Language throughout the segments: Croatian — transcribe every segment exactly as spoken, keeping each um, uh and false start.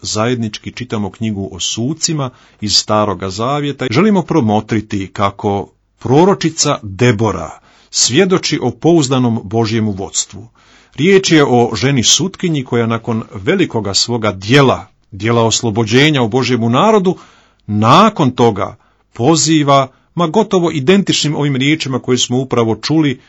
zajednički čitamo knjigu o sucima iz Staroga Zavjeta. Želimo promotriti kako proročica Debora svjedoči o pouzdanom Božjemu vodstvu. Riječ je o ženi sutkinji koja nakon velikoga svoga djela, djela oslobođenja u Božjemu narodu, nakon toga poziva, ma gotovo identičnim ovim riječima koje smo upravo čuli,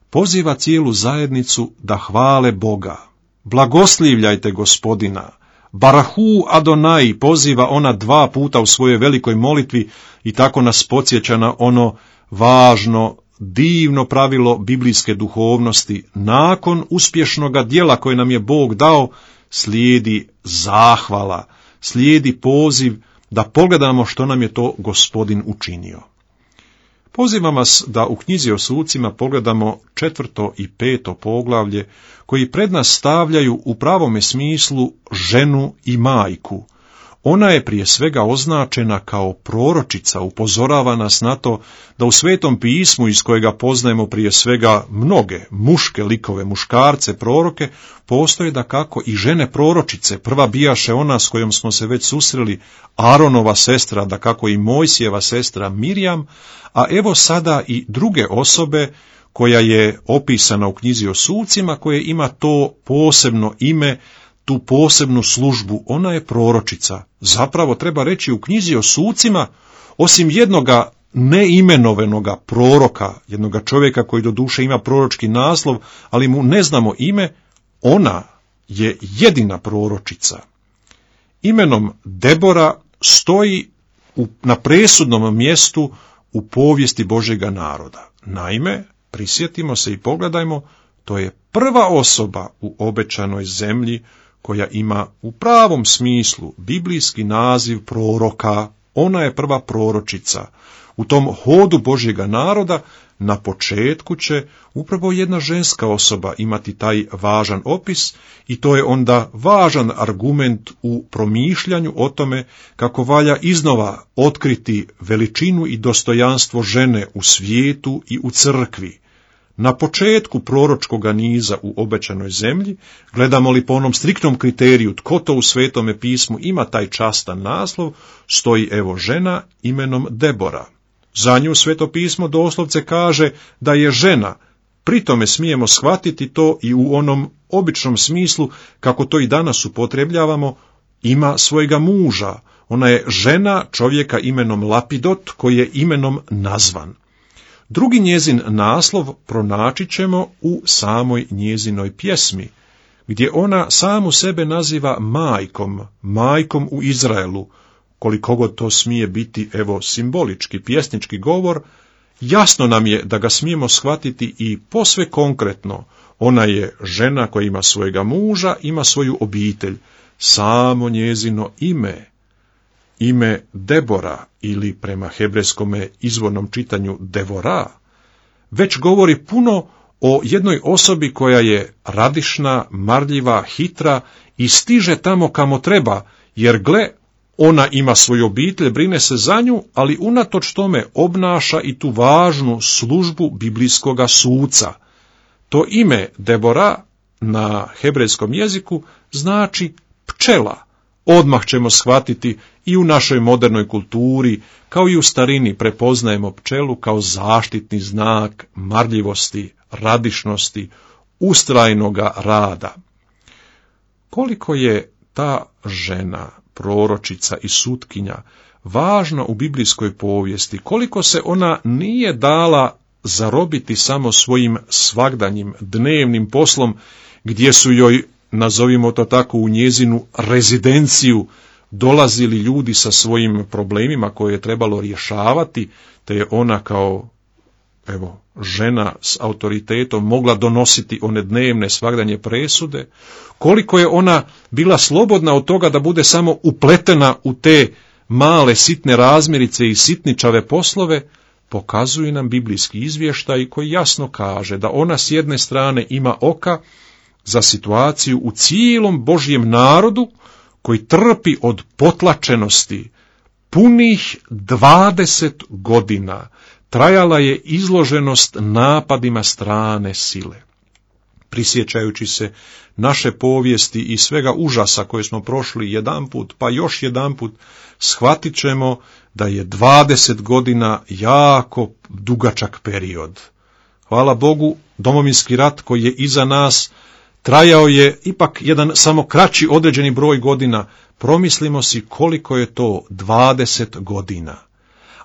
poziva cijelu zajednicu da hvale Boga. Blagoslivljajte Gospodina. Barahu Adonai poziva ona dva puta u svojoj velikoj molitvi i tako nas podsjeća na ono važno, divno pravilo biblijske duhovnosti. Nakon uspješnoga djela koje nam je Bog dao, slijedi zahvala, slijedi poziv da pogledamo što nam je to Gospodin učinio. Pozivam vas da u knjizi o sucima pogledamo četvrto i peto poglavlje, koji pred nas stavljaju u pravome smislu ženu i majku. Ona je prije svega označena kao proročica, upozorava nas na to da u Svetom pismu, iz kojega poznajemo prije svega mnoge muške likove, muškarce, proroke, postoje da kako i žene proročice. Prva bijaše ona s kojom smo se već susreli, Aronova sestra, da kako i Mojsijeva sestra Mirjam, a evo sada i druge osobe koja je opisana u knjizi o sucima, koje ima to posebno ime, tu posebnu službu. Ona je proročica. Zapravo treba reći u knjizi o sucima, osim jednoga neimenovanoga proroka, jednoga čovjeka koji do duše ima proročki naslov, ali mu ne znamo ime, ona je jedina proročica. Imenom Debora stoji u, na presudnom mjestu u povijesti Božjega naroda. Naime, prisjetimo se i pogledajmo, to je prva osoba u obećanoj zemlji koja ima u pravom smislu biblijski naziv proroka. Ona je prva proročica. U tom hodu Božjega naroda na početku će upravo jedna ženska osoba imati taj važan opis i to je onda važan argument u promišljanju o tome kako valja iznova otkriti veličinu i dostojanstvo žene u svijetu i u crkvi. Na početku proročkoga niza u obećanoj zemlji, gledamo li po onom striktnom kriteriju tko to u Svetome pismu ima taj častan naslov, stoji evo žena imenom Debora. Za nju Sveto pismo doslovce kaže da je žena, pri tome smijemo shvatiti to i u onom običnom smislu, kako to i danas upotrebljavamo, ima svojega muža. Ona je žena čovjeka imenom Lapidot, koji je imenom nazvan. Drugi njezin naslov pronaći ćemo u samoj njezinoj pjesmi, gdje ona samu sebe naziva majkom, majkom u Izraelu. Koliko god to smije biti, evo, simbolički, pjesnički govor, jasno nam je da ga smijemo shvatiti i posve konkretno. Ona je žena koja ima svojega muža, ima svoju obitelj. Samo njezino ime, ime Debora, ili prema hebrejskome izvornom čitanju Devora, već govori puno o jednoj osobi koja je radišna, marljiva, hitra i stiže tamo kamo treba, jer gle, ona ima svoju obitelj, brine se za nju, ali unatoč tome obnaša i tu važnu službu biblijskoga suca. To ime Debora na hebrejskom jeziku znači pčela. Odmah ćemo shvatiti i u našoj modernoj kulturi, kao i u starini, prepoznajemo pčelu kao zaštitni znak marljivosti, radišnosti, ustrajnoga rada. Koliko je ta žena, proročica i sutkinja, važna u biblijskoj povijesti, koliko se ona nije dala zarobiti samo svojim svagdanjim, dnevnim poslom, gdje su joj, nazovimo to tako, u njezinu rezidenciju dolazili ljudi sa svojim problemima koje je trebalo rješavati, te je ona kao, evo, žena s autoritetom mogla donositi one dnevne svagdanje presude, koliko je ona bila slobodna od toga da bude samo upletena u te male sitne razmirice i sitničave poslove, pokazuje nam biblijski izvještaj koji jasno kaže da ona s jedne strane ima oka za situaciju u cijelom Božjem narodu koji trpi od potlačenosti. Punih dvadeset godina trajala je izloženost napadima strane sile. prisjećajući se naše povijesti i svega užasa koje smo prošli jedanput, pa još jedanput, shvatit ćemo da je dvadeset godina jako dugačak period. Hvala Bogu, Domovinski rat koji je iza nas trajao je ipak jedan samo kraći određeni broj godina. Promislimo si koliko je to dvadeset godina.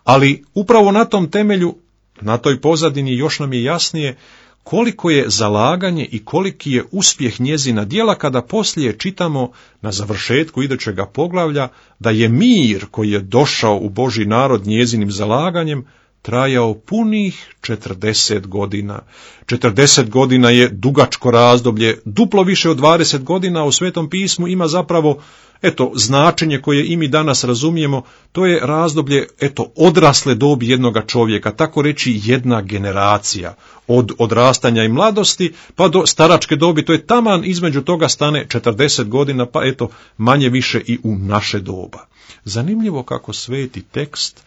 Ali upravo na tom temelju, na toj pozadini još nam je jasnije koliko je zalaganje i koliki je uspjeh njezina djela kada poslije čitamo na završetku idućega poglavlja da je mir koji je došao u Božji narod njezinim zalaganjem trajao punih četrdeset godina. četrdeset godina je dugačko razdoblje, duplo više od dvadeset godina u Svetom pismu ima zapravo, eto, značenje koje i mi danas razumijemo, to je razdoblje, eto, odrasle dobi jednoga čovjeka, tako reći jedna generacija, od odrastanja i mladosti pa do staračke dobi, to je taman između toga stane četrdeset godina, pa eto, manje više i u naše doba. Zanimljivo kako sveti tekst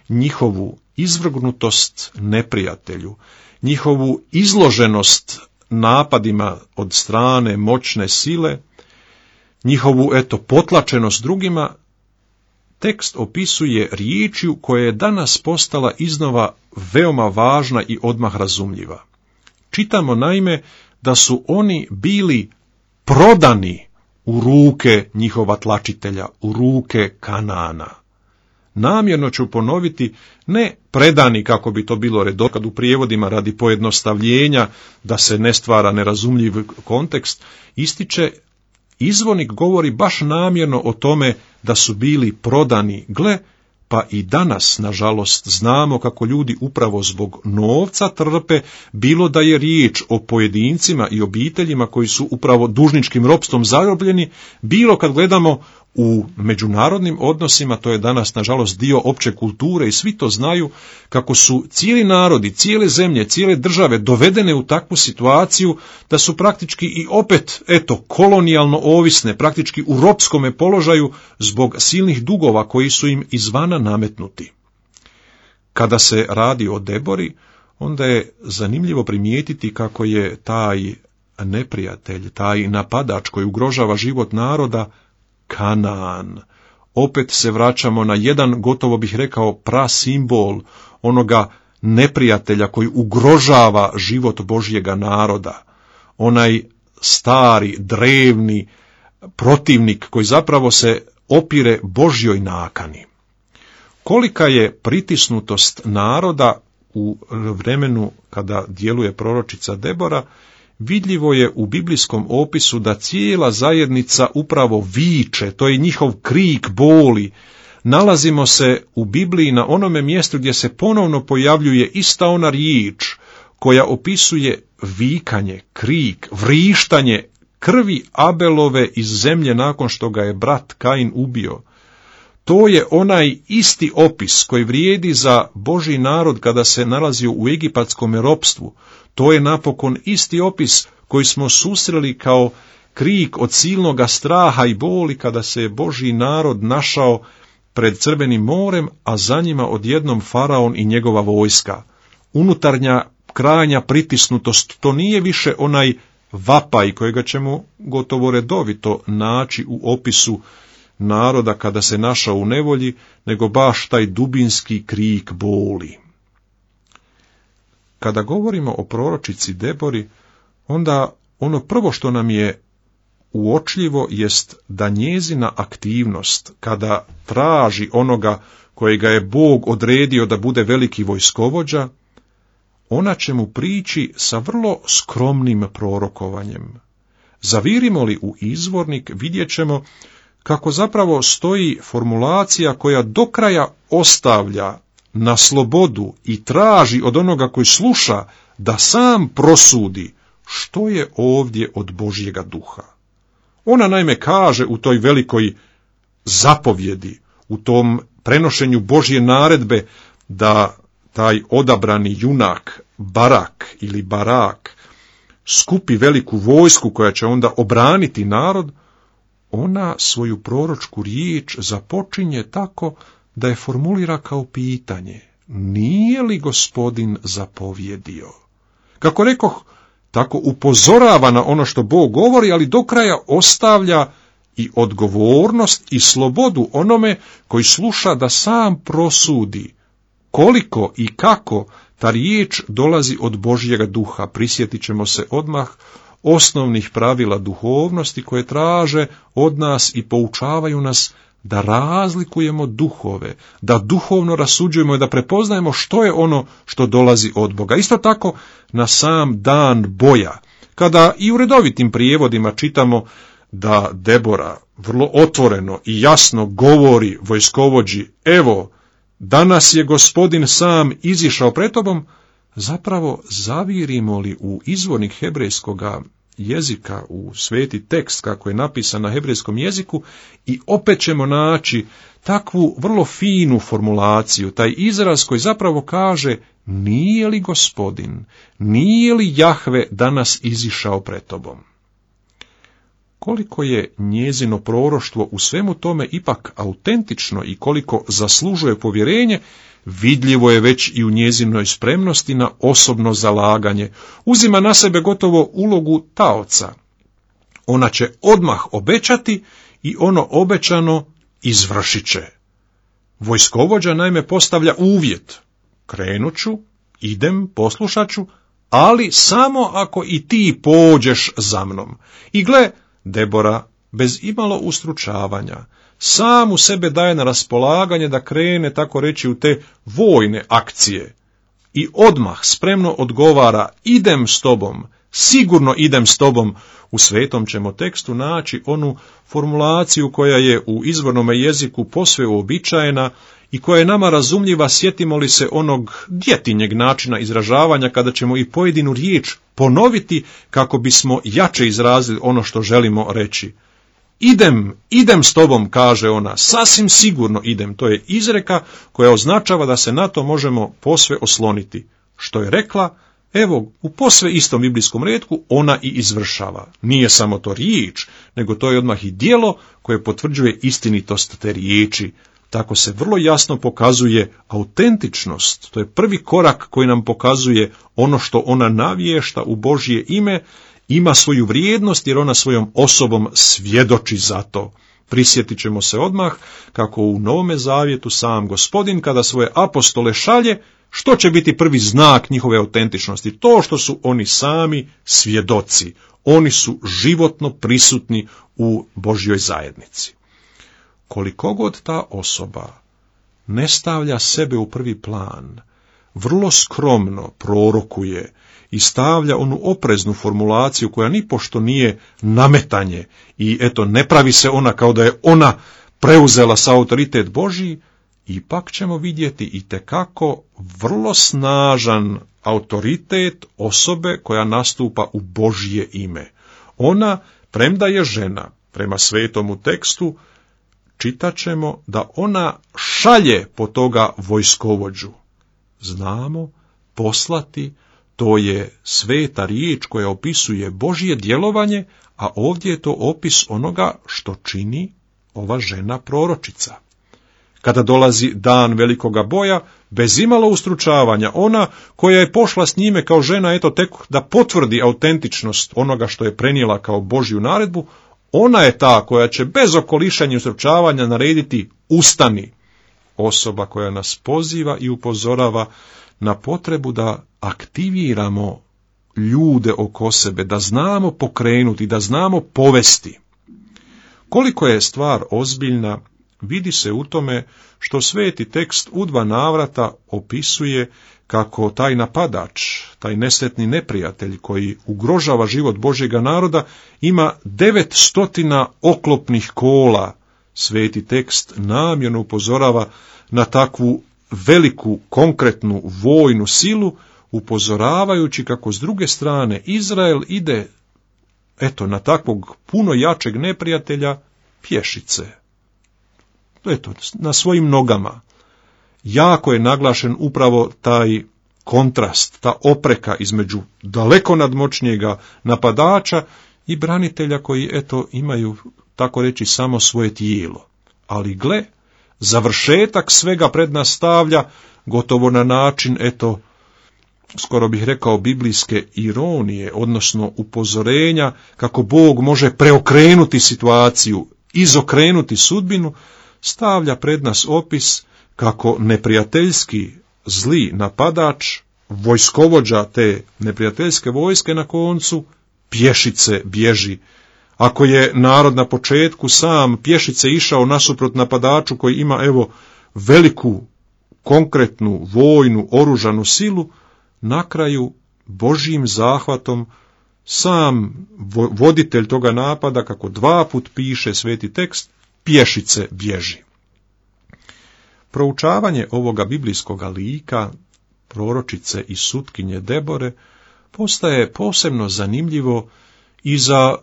njihovu izvrgnutost neprijatelju, njihovu izloženost napadima od strane moćne sile, njihovu, eto, potlačenost drugima, tekst opisuje riječju koja je danas postala iznova veoma važna i odmah razumljiva. Čitamo naime da su oni bili prodani u ruke njihova tlačitelja, u ruke Kanana. Namjerno ću ponoviti, ne predani kako bi to bilo redokad u prijevodima radi pojednostavljenja, da se ne stvara nerazumljiv kontekst, ističe, izvornik govori baš namjerno o tome da su bili prodani, gle, pa i danas, nažalost, znamo kako ljudi upravo zbog novca trpe, bilo da je riječ o pojedincima i obiteljima koji su upravo dužničkim ropstvom zarobljeni, bilo kad gledamo u međunarodnim odnosima, to je danas, nažalost, dio opće kulture i svi to znaju, kako su cijeli narodi, cijele zemlje, cijele države dovedene u takvu situaciju da su praktički i opet, eto, kolonijalno ovisne, praktički u ropskome položaju zbog silnih dugova koji su im izvana nametnuti. Kada se radi o Debori, onda je zanimljivo primijetiti kako je taj neprijatelj, taj napadač koji ugrožava život naroda, Kanaan. Opet se vraćamo na jedan, gotovo bih rekao, prasimbol onoga neprijatelja koji ugrožava život Božjega naroda. Onaj stari, drevni protivnik koji zapravo se opire Božjoj nakani. Kolika je pritisnutost naroda u vremenu kada djeluje proročica Debora, vidljivo je u biblijskom opisu da cijela zajednica upravo viče, to je njihov krik boli. Nalazimo se u Bibliji na onome mjestu gdje se ponovno pojavljuje ista ona riječ koja opisuje vikanje, krik, vrištanje krvi Abelove iz zemlje nakon što ga je brat Kain ubio. To je onaj isti opis koji vrijedi za Božji narod kada se nalazio u egipatskom ropstvu. To je napokon isti opis koji smo susreli kao krik od silnoga straha i boli kada se je Božji narod našao pred Crvenim morem, a za njima odjednom faraon i njegova vojska. Unutarnja krajnja pritisnutost, to nije više onaj vapaj kojega ćemo gotovo redovito naći u opisu naroda kada se našao u nevolji, nego baš taj dubinski krik boli. Kada govorimo o proročici Debori, onda ono prvo što nam je uočljivo jest da njezina aktivnost, kada traži onoga kojega je Bog odredio da bude veliki vojskovođa, ona će mu prići sa vrlo skromnim prorokovanjem. Zavirimo li u izvornik, vidjet ćemo kako zapravo stoji formulacija koja do kraja ostavlja na slobodu i traži od onoga koji sluša da sam prosudi što je ovdje od Božjega duha. Ona naime kaže u toj velikoj zapovjedi, u tom prenošenju Božje naredbe da taj odabrani junak, Barak ili Barak, skupi veliku vojsku koja će onda obraniti narod, ona svoju proročku riječ započinje tako da je formulira kao pitanje: nije li Gospodin zapovjedio? Kako rekoh, tako upozorava na ono što Bog govori, ali do kraja ostavlja i odgovornost i slobodu onome koji sluša da sam prosudi koliko i kako ta riječ dolazi od Božjega duha. Prisjetit ćemo se odmah osnovnih pravila duhovnosti koje traže od nas i poučavaju nas da razlikujemo duhove, da duhovno rasuđujemo i da prepoznajemo što je ono što dolazi od Boga. Isto tako na sam dan boja, kada i u redovitim prijevodima čitamo da Debora vrlo otvoreno i jasno govori vojskovođi, evo, danas je Gospodin sam izišao pred tobom, zapravo zavirimo li u izvornik hebrejskoga jezika, u sveti tekst kako je napisan na hebrejskom jeziku i opet ćemo naći takvu vrlo finu formulaciju, taj izraz koji zapravo kaže nije li Gospodin, nije li Jahve danas izišao pred tobom. Koliko je njezino proroštvo u svemu tome ipak autentično i koliko zaslužuje povjerenje, vidljivo je već i u njezinoj spremnosti na osobno zalaganje. Uzima na sebe gotovo ulogu taoca. Ona će odmah obećati i ono obećano izvršit će. Vojskovođa naime postavlja uvjet. Krenut ću, idem, poslušat ću, ali samo ako i ti pođeš za mnom. I gle, Debora, bez imalo ustručavanja, sam u sebe daje na raspolaganje da krene, tako reći, u te vojne akcije. I odmah spremno odgovara, idem s tobom, sigurno idem s tobom. U svetom ćemo tekstu naći onu formulaciju koja je u izvornome jeziku posve uobičajena i koja je nama razumljiva, sjetimo li se onog djetinjeg načina izražavanja kada ćemo i pojedinu riječ ponoviti kako bismo jače izrazili ono što želimo reći. Idem, idem s tobom, kaže ona, sasvim sigurno idem. To je izreka koja označava da se na to možemo posve osloniti. Što je rekla, evo, u posve istom biblijskom retku ona i izvršava. Nije samo to riječ, nego to je odmah i djelo koje potvrđuje istinitost te riječi. Tako se vrlo jasno pokazuje autentičnost. To je prvi korak koji nam pokazuje ono što ona navješta u Božje ime, ima svoju vrijednost jer ona svojom osobom svjedoči za to. Prisjetit ćemo se odmah kako u Novome Zavjetu sam Gospodin kada svoje apostole šalje, što će biti prvi znak njihove autentičnosti? To što su oni sami svjedoci. Oni su životno prisutni u Božjoj zajednici. Koliko god ta osoba ne stavlja sebe u prvi plan, vrlo skromno prorokuje i stavlja onu opreznu formulaciju koja nipošto nije nametanje i eto ne pravi se ona kao da je ona preuzela sa autoritet Božji, ipak ćemo vidjeti itekako vrlo snažan autoritet osobe koja nastupa u Božje ime. Ona, premda je žena, prema svetomu tekstu, čitat ćemo da ona šalje po toga vojskovođu. Znamo, poslati, to je sveta riječ koja opisuje Božje djelovanje, a ovdje je to opis onoga što čini ova žena proročica. Kada dolazi dan velikoga boja, bez imalo ustručavanja, ona koja je pošla s njime kao žena, eto tek da potvrdi autentičnost onoga što je prenijela kao Božju naredbu, ona je ta koja će bez okolišanja i ustručavanja narediti ustani. Osoba koja nas poziva i upozorava na potrebu da aktiviramo ljude oko sebe, da znamo pokrenuti, da znamo povesti. Koliko je stvar ozbiljna, vidi se u tome što sveti tekst u dva navrata opisuje kako taj napadač, taj nesretni neprijatelj koji ugrožava život Božjega naroda, ima devet stotina oklopnih kola. Sveti tekst namjerno upozorava na takvu veliku, konkretnu vojnu silu, upozoravajući kako s druge strane Izrael ide, eto, na takvog puno jačeg neprijatelja pješice. Eto, na svojim nogama. Jako je naglašen upravo taj kontrast, ta opreka između daleko nadmoćnijega napadača i branitelja koji, eto, imaju, tako reći, samo svoje tijelo. Ali gle, završetak svega pred nas stavlja gotovo na način, eto, skoro bih rekao biblijske ironije, odnosno upozorenja kako Bog može preokrenuti situaciju, izokrenuti sudbinu, stavlja pred nas opis kako neprijateljski zli napadač, vojskovođa te neprijateljske vojske na koncu pješice bježi. Ako je narod na početku sam pješice išao nasuprot napadaču koji ima evo veliku, konkretnu, vojnu, oružanu silu, na kraju Božjim zahvatom sam voditelj toga napada, kako dva put piše sveti tekst, pješice bježi. Proučavanje ovoga biblijskoga lika, proročice i sutkinje Debore, postaje posebno zanimljivo i za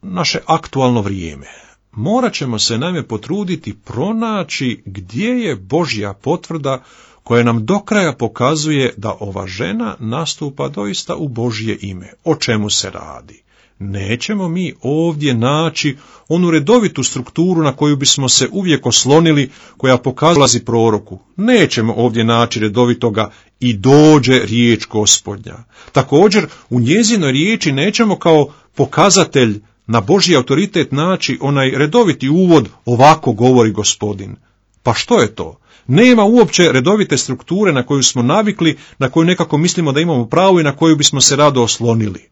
naše aktualno vrijeme. Morat ćemo se naime potruditi pronaći gdje je Božja potvrda koja nam do kraja pokazuje da ova žena nastupa doista u Božje ime. O čemu se radi? Nećemo mi ovdje naći onu redovitu strukturu na koju bismo se uvijek oslonili, koja pokazuje proroku. Nećemo ovdje naći redovitoga i dođe riječ Gospodnja. Također, u njezinoj riječi nećemo kao pokazatelj na Božji autoritet naći onaj redoviti uvod, ovako govori Gospodin. Pa što je to? Nema uopće redovite strukture na koju smo navikli, na koju nekako mislimo da imamo pravo i na koju bismo se rado oslonili.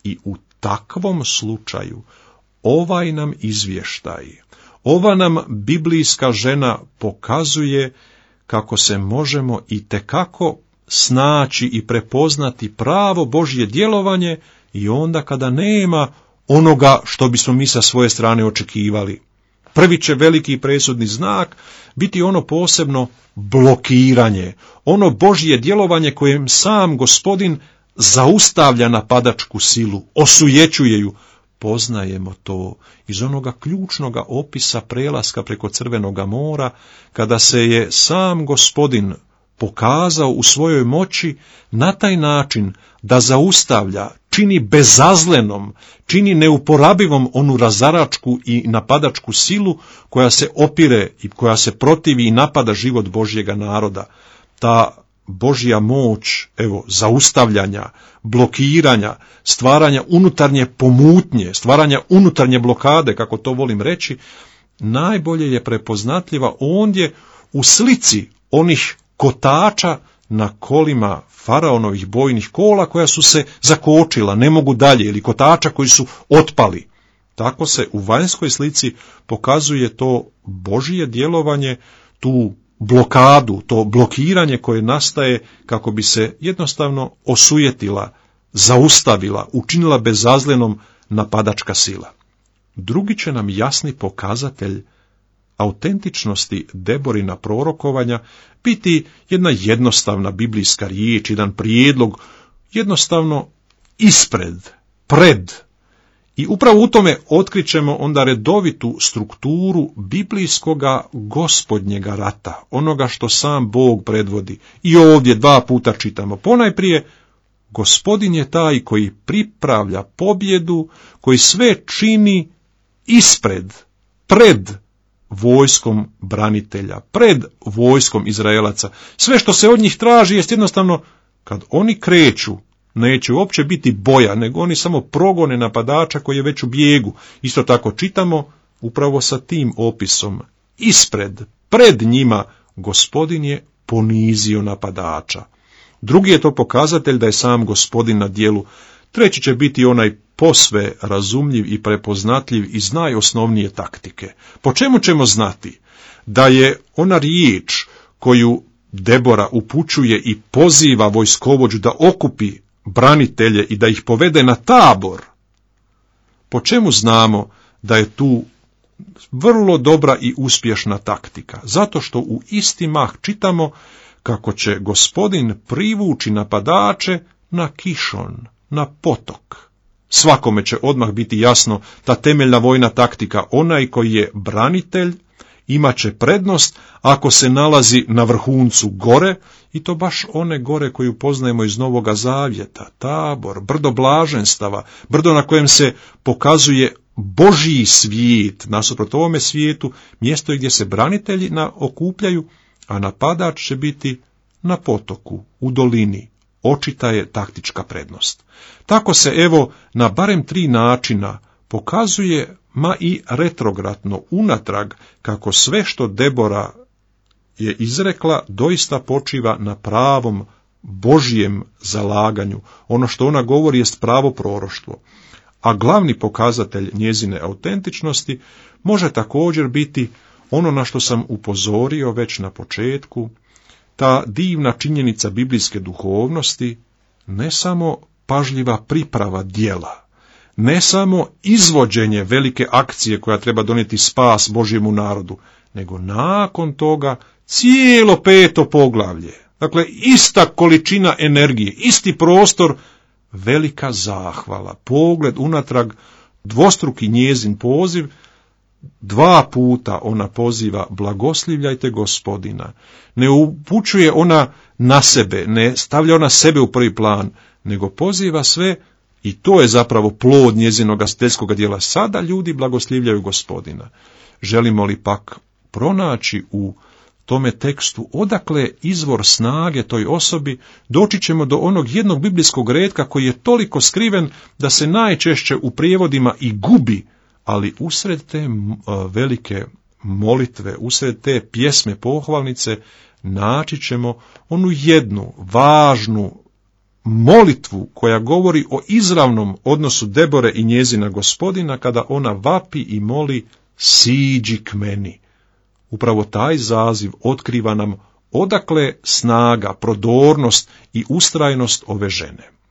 I u takvom slučaju ovaj nam izvještaj, ova nam biblijska žena pokazuje kako se možemo itekako snaći i prepoznati pravo Božje djelovanje i onda kada nema onoga što bismo mi sa svoje strane očekivali. Prvi će veliki i presudni znak biti ono posebno blokiranje, ono Božje djelovanje kojem sam Gospodin zaustavlja napadačku silu, osujećuje ju. Poznajemo to iz onoga ključnoga opisa prelaska preko Crvenoga mora, kada se je sam Gospodin pokazao u svojoj moći na taj način da zaustavlja, čini bezazlenom, čini neuporabivom onu razaračku i napadačku silu koja se opire i koja se protivi i napada život Božjega naroda. Ta Božja moć, evo, zaustavljanja, blokiranja, stvaranja unutarnje pomutnje, stvaranja unutarnje blokade, kako to volim reći, najbolje je prepoznatljiva ondje u slici onih kotača na kolima faraonovih bojnih kola koja su se zakočila, ne mogu dalje, ili kotača koji su otpali. Tako se u vanjskoj slici pokazuje to Božje djelovanje, tu blokadu, to blokiranje koje nastaje kako bi se jednostavno osujetila, zaustavila, učinila bezazlenom napadačka sila. Drugi će nam jasni pokazatelj autentičnosti Deborina prorokovanja biti jedna jednostavna biblijska riječ, jedan prijedlog, jednostavno ispred, pred. I upravo u tome otkrićemo onda redovitu strukturu biblijskoga gospodnjega rata, onoga što sam Bog predvodi. I ovdje dva puta čitamo. Ponajprije, Gospodin je taj koji pripravlja pobjedu, koji sve čini ispred, pred vojskom branitelja, pred vojskom Izraelaca. Sve što se od njih traži jest jednostavno, kad oni kreću, neće uopće biti boja, nego oni samo progone napadača koji je već u bijegu. Isto tako čitamo upravo sa tim opisom. Ispred, pred njima, Gospodin je ponizio napadača. Drugi je to pokazatelj da je sam Gospodin na djelu. Treći će biti onaj posve razumljiv i prepoznatljiv iz najosnovnije taktike. Po čemu ćemo znati da je ona riječ koju Debora upućuje i poziva vojskovođu da okupi branitelje i da ih povede na tabor? Po čemu znamo da je tu vrlo dobra i uspješna taktika? Zato što u isti mah čitamo kako će Gospodin privući napadače na Kišon, na potok. Svakome će odmah biti jasno ta temeljna vojna taktika. Onaj koji je branitelj imat će prednost ako se nalazi na vrhuncu gore, i to baš one gore koju poznajemo iz Novoga Zavjeta, Tabor, brdo blaženstava, brdo na kojem se pokazuje Božji svijet, nasuprot ovome svijetu, mjesto gdje se branitelji na, okupljaju, a napadač će biti na potoku, u dolini, očita je taktička prednost. Tako se evo na barem tri načina pokazuje, ma i retrogradno unatrag, kako sve što Debora je izrekla doista počiva na pravom Božijem zalaganju. Ono što ona govori jest pravo proroštvo. A glavni pokazatelj njezine autentičnosti može također biti ono na što sam upozorio već na početku, ta divna činjenica biblijske duhovnosti, ne samo pažljiva priprava djela, ne samo izvođenje velike akcije koja treba donijeti spas Božjemu narodu, nego nakon toga cijelo peto poglavlje. Dakle, ista količina energije, isti prostor, velika zahvala, pogled unatrag, dvostruki njezin poziv. Dva puta ona poziva blagoslivljajte Gospodina. Ne upućuje ona na sebe, ne stavlja ona sebe u prvi plan, nego poziva sve, i to je zapravo plod njezinog astetskog djela. Sada ljudi blagoslivljaju Gospodina. Želimo li pak pronaći u tome tekstu odakle izvor snage toj osobi, doći ćemo do onog jednog biblijskog retka koji je toliko skriven da se najčešće u prijevodima i gubi, ali usred te velike molitve, usred te pjesme pohvalnice, naći ćemo onu jednu važnu molitvu koja govori o izravnom odnosu Debore i njezina Gospodina, kada ona vapi i moli siđi k meni. Upravo taj zaziv otkriva nam odakle snaga, prodornost i ustrajnost ove žene.